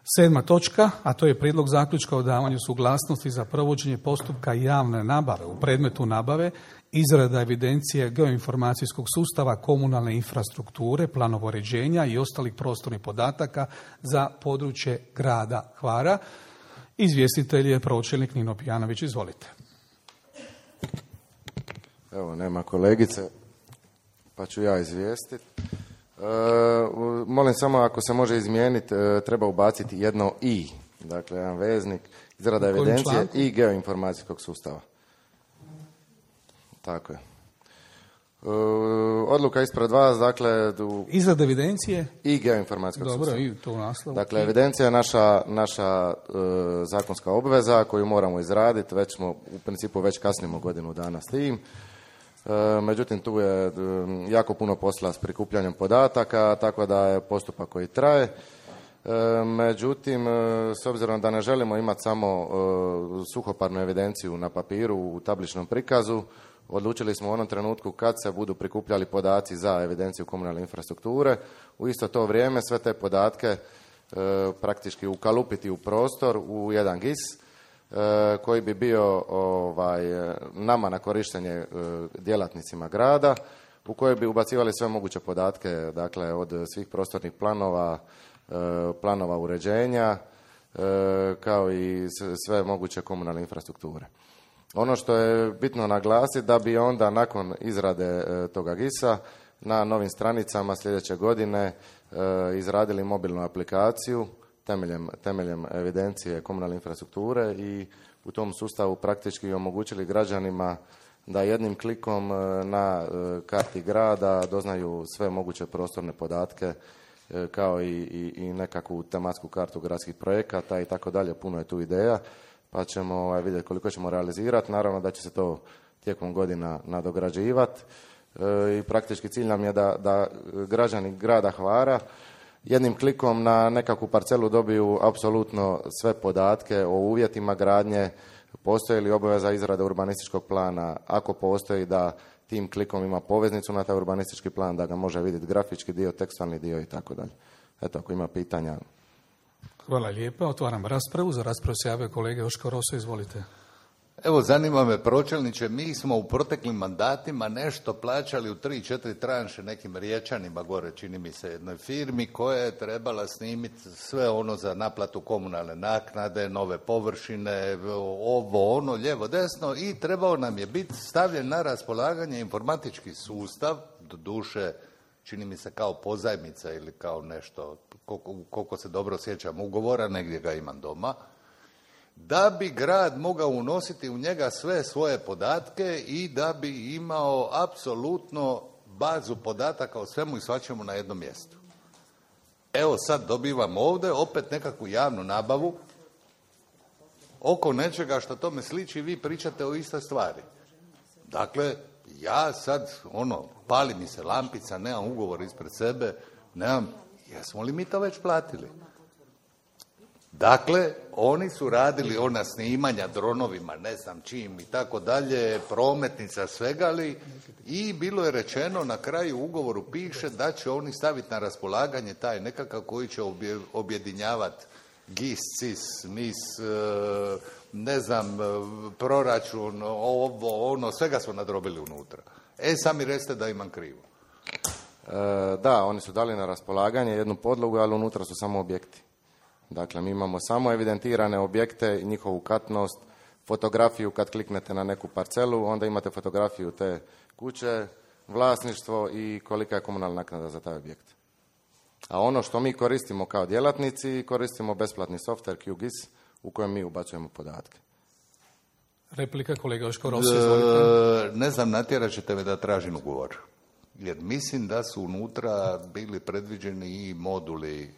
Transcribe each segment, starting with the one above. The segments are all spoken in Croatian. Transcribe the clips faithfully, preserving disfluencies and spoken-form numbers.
Sedma točka, a to je prijedlog zaključka o davanju suglasnosti za provođenje postupka javne nabave u predmetu nabave, izrada evidencije geoinformacijskog sustava komunalne infrastrukture, planova uređenja i ostalih prostornih podataka za područje grada Hvara. Izvjestitelj je pročelnik Nino Pijanović. Izvolite. Evo, nema kolegice, pa ću ja izvijestiti. E, molim samo ako se može izmijeniti, e, treba ubaciti jedno i, dakle jedan veznik, izrada evidencije i geoinformacijskog sustava. Tako je. E, odluka ispred vas, dakle... U... Izrada evidencije? I geoinformacijskog Dobro, sustava. i to u naslovu. Dakle, evidencija je naša, naša e, zakonska obveza koju moramo izraditi, već smo, u principu već kasnimo godinu dana s tim. Međutim, tu je jako puno posla s prikupljanjem podataka, tako da je postupak koji traje. Međutim, s obzirom da ne želimo imati samo suhoparnu evidenciju na papiru u tabličnom prikazu, odlučili smo u onom trenutku kad se budu prikupljali podaci za evidenciju komunalne infrastrukture, u isto to vrijeme sve te podatke praktički ukalupiti u prostor u jedan G I S, koji bi bio ovaj, nama na korištenje djelatnicima grada, u kojoj bi ubacivali sve moguće podatke, dakle od svih prostornih planova, planova uređenja, kao i sve moguće komunalne infrastrukture. Ono što je bitno naglasiti, da bi onda nakon izrade toga G I S-a na novim stranicama sljedeće godine izradili mobilnu aplikaciju Temeljem, temeljem evidencije komunalne infrastrukture i u tom sustavu praktički omogućili građanima da jednim klikom na karti grada doznaju sve moguće prostorne podatke kao i, i, i nekakvu tematsku kartu gradskih projekata i tako dalje. Puno je tu ideja, pa ćemo vidjeti koliko ćemo realizirati. Naravno da će se to tijekom godina nadograđivati i praktički cilj nam je da, da građani grada Hvara jednim klikom na nekakvu parcelu dobiju apsolutno sve podatke o uvjetima gradnje, postoji li obaveza izrade urbanističkog plana, ako postoji da tim klikom ima poveznicu na taj urbanistički plan, da ga može vidjeti grafički dio, tekstualni dio i tako dalje. Eto, ako ima pitanja. Hvala lijepa. Otvaram raspravu. Za raspravu se javio kolega Joško Roso. Izvolite. Evo, zanima me, pročelniče, mi smo u proteklim mandatima nešto plaćali u tri, četiri tranše nekim Riječanima gore, čini mi se, jednoj firmi koja je trebala snimiti sve ono za naplatu komunalne naknade, nove površine, ovo, ono, lijevo, desno i trebao nam je biti stavljen na raspolaganje informatički sustav, do duše, čini mi se kao pozajmica ili kao nešto, koliko, koliko se dobro sjećam ugovora, negdje ga imam doma, da bi grad mogao unositi u njega sve svoje podatke i da bi imao apsolutno bazu podataka o svemu i svačemu na jednom mjestu. Evo sad dobivam ovdje opet nekakvu javnu nabavu oko nečega što tome sliči, vi pričate o istoj stvari. Dakle, ja sad, ono, pali mi se lampica, nemam ugovor ispred sebe, nemam, jesmo li mi to već platili? Dakle, oni su radili ona snimanja dronovima, ne znam čim i tako dalje, prometnica, svega li, i bilo je rečeno na kraju ugovoru piše da će oni staviti na raspolaganje taj nekakav koji će objedinjavati G I S, C I S, N I S, ne znam, proračun, ovo, ono, svega smo nadrobili unutra. E, sami recite da imam krivo. E, da, oni su dali na raspolaganje jednu podlogu, ali unutra su samo objekti. Dakle, mi imamo samo evidentirane objekte i njihovu katnost, fotografiju kad kliknete na neku parcelu, onda imate fotografiju te kuće, vlasništvo i kolika je komunalna naknada za taj objekt. A ono što mi koristimo kao djelatnici, koristimo besplatni software Q G I S u kojem mi ubacujemo podatke. Replika kolega Joško Roso, izvolite. Ne znam, natjerat ćete me da tražim ugovor. Jer mislim da su unutra bili predviđeni i moduli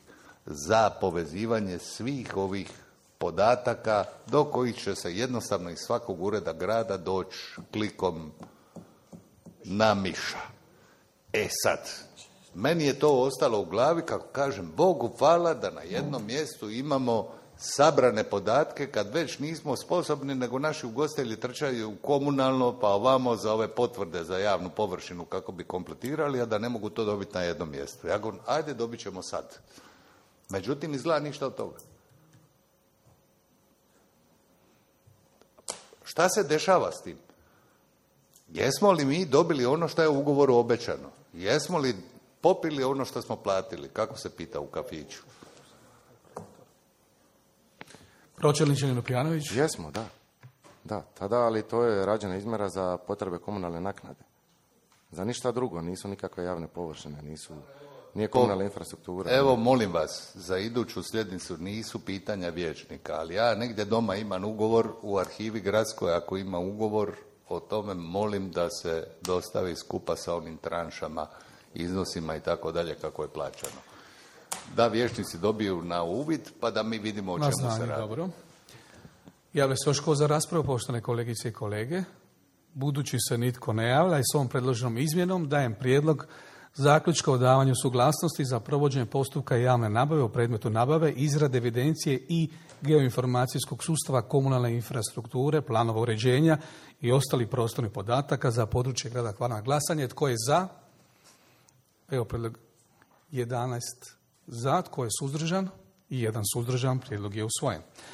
za povezivanje svih ovih podataka do kojih će se jednostavno iz svakog ureda grada doći klikom na miša. E sad, meni je to ostalo u glavi, kako kažem, Bogu hvala da na jednom mjestu imamo sabrane podatke kad već nismo sposobni, nego naši ugostitelji trčaju komunalno pa ovamo za ove potvrde za javnu površinu kako bi kompletirali, a da ne mogu to dobiti na jednom mjestu. Ja govorim, ajde dobit ćemo sad. Međutim, izgleda ništa od toga. Šta se dešava s tim? Jesmo li mi dobili ono što je u ugovoru obećano? Jesmo li popili ono što smo platili? Kako se pita u kafiću? Pročelniče Lupjanović? Jesmo, da. Da, tada, ali to je rađena izmjera za potrebe komunalne naknade. Za ništa drugo, nisu nikakve javne površine, nisu, nije komunalna infrastruktura. Evo, molim vas, za iduću sljednicu nisu pitanja vijećnika, ali ja negdje doma imam ugovor u arhivi gradskoj, ako ima ugovor o tome, molim da se dostavi skupa sa onim tranšama, iznosima i tako dalje kako je plaćano. Da vijećnici dobiju na uvid, pa da mi vidimo o čemu na znanje, se radi. Dobro. Javlja se još ko za raspravu, poštovane kolegice i kolege. Budući se nitko ne javlja i s ovom predloženom izmjenom dajem prijedlog zaključka o davanju suglasnosti za provođenje postupka javne nabave u predmetu nabave, izrade evidencije i geoinformacijskog sustava komunalne infrastrukture, planova uređenja i ostalih prostornih podataka za područje grada Hvara. Glasanje. Tko je za? Evo predlog jedanaest za. Tko je suzdržan? I jedan suzdržan. Prijedlog je usvojen.